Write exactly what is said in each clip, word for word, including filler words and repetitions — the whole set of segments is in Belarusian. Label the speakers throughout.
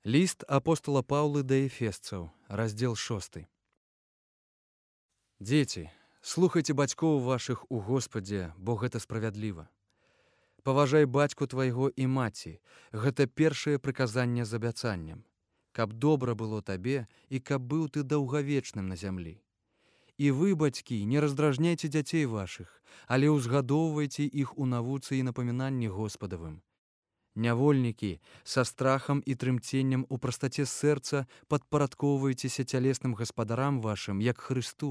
Speaker 1: Ліст апостола Паўлы да эфесцаў, раздзел шосты. Дзеці, слухайце бацькоў вашых у Господзе, бо гэта справядліва. Паважай бацьку твайго і маці, гэта першае прыказанне з абяцаннем, каб добра было табе і каб быў ты даўгавечным на зямлі. І вы, бацькі, не раздражняйце дзяцей вашых, але ўзгадоўвайце іх у навуцы і напамінанні Господавым. Нявольнікі, са страхам і трымценнем у прастаце сэрца падпарадкоўвайцеся цялесным гаспадарам вашым, як Хрысту,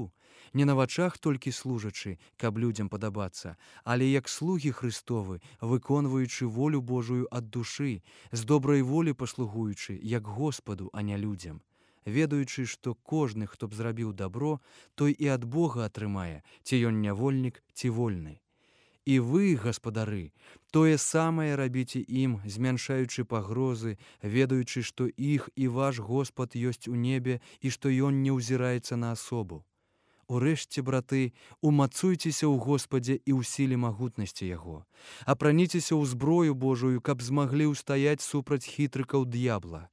Speaker 1: не на вачах толькі служачы, каб людзям падабацца, але як слугі Христовы, выконваючы волю Божую ад душы, з добрай волі паслугуючы, як Господу, а не людзям, ведаючы, што кожны, хто б зрабіў дабро, той і ад Бога атрымае, ці ён нявольнік, ці вольны. І вы, гаспадары, тое самае рабіце ім, змяншаючы пагрозы, ведаючы, што іх і ваш Господ ёсць у небе і што ён не ўзіраецца на асобу. Урэшце, браты, умацуйцеся ў Господзе і ў сіле магутнасці яго. Апраніцеся ў зброю Божую, каб змаглі ўстаяць супраць хітрыкаў д'ябла.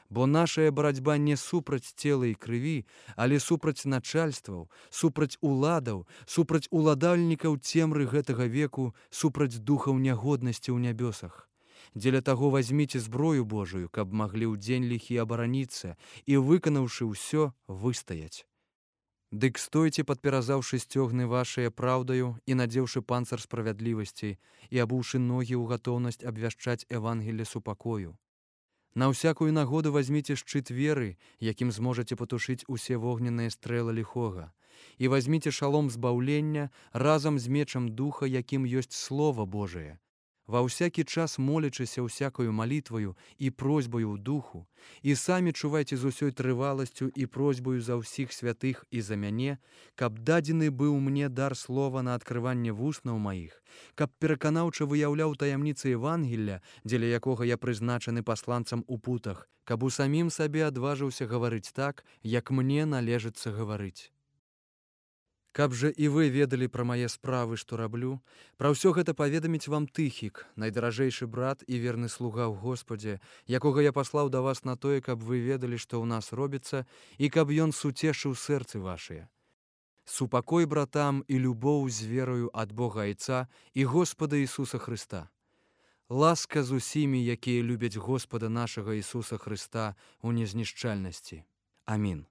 Speaker 1: Бо нашая барацьба не супраць цела і крыві, але супраць начальстваў, супраць уладаў, супраць уладальнікаў цемры гэтага веку, супраць духаў нягоднасці ў нябёсах. Дзеля таго вазьміце зброю Божую, каб маглі ў дзень ліхі абараніцца і, выканаўшы ўсё, выстаяць. Дык стойце, падперазаўшы сцёгны вашыя праўдаю і надзеўшы панцыр справядлівасці і абуўшы ногі ў гатоўнасць абвяшчаць Евангелле супакою. На ўсякую нагоду вазьміце шчыт веры, якім зможаце патушыць усе вогненныя стрэлы ліхога, і вазьміце шалом збаўлення разам з мечам духа, якім ёсць Слова Божае. Ва ўсякі час молячыся ўсякаю малітваю і просьбаю ў духу, і самі чувайце з усёй трываласцю і просьбаю за ўсіх святых і за мяне, каб дадзены быў мне дар слова на адкрыванне вуснаў маіх, каб пераканаўча выяўляў таямніцы Евангелля, дзеля якога я прызначаны пасланцам у путах, каб у самім сабе адважыўся гаварыць так, як мне належыцца гаварыць. Каб жа і вы ведалі пра мае справы, што раблю, пра ўсё гэта паведаміць вам Тыхік, найдаражэйшы брат і верны слуга ў Господзе, якога я паслаў да вас на тое, каб вы ведалі, што ў нас робіцца, і каб ён суцешыў сэрцы вашыя. Супакой братам і любоў з верою ад Бога Айца і Господа Ісуса Хрыста. Ласка з усімі, якія любяць Господа нашага Ісуса Хрыста ў незнішчальнасці. Амін.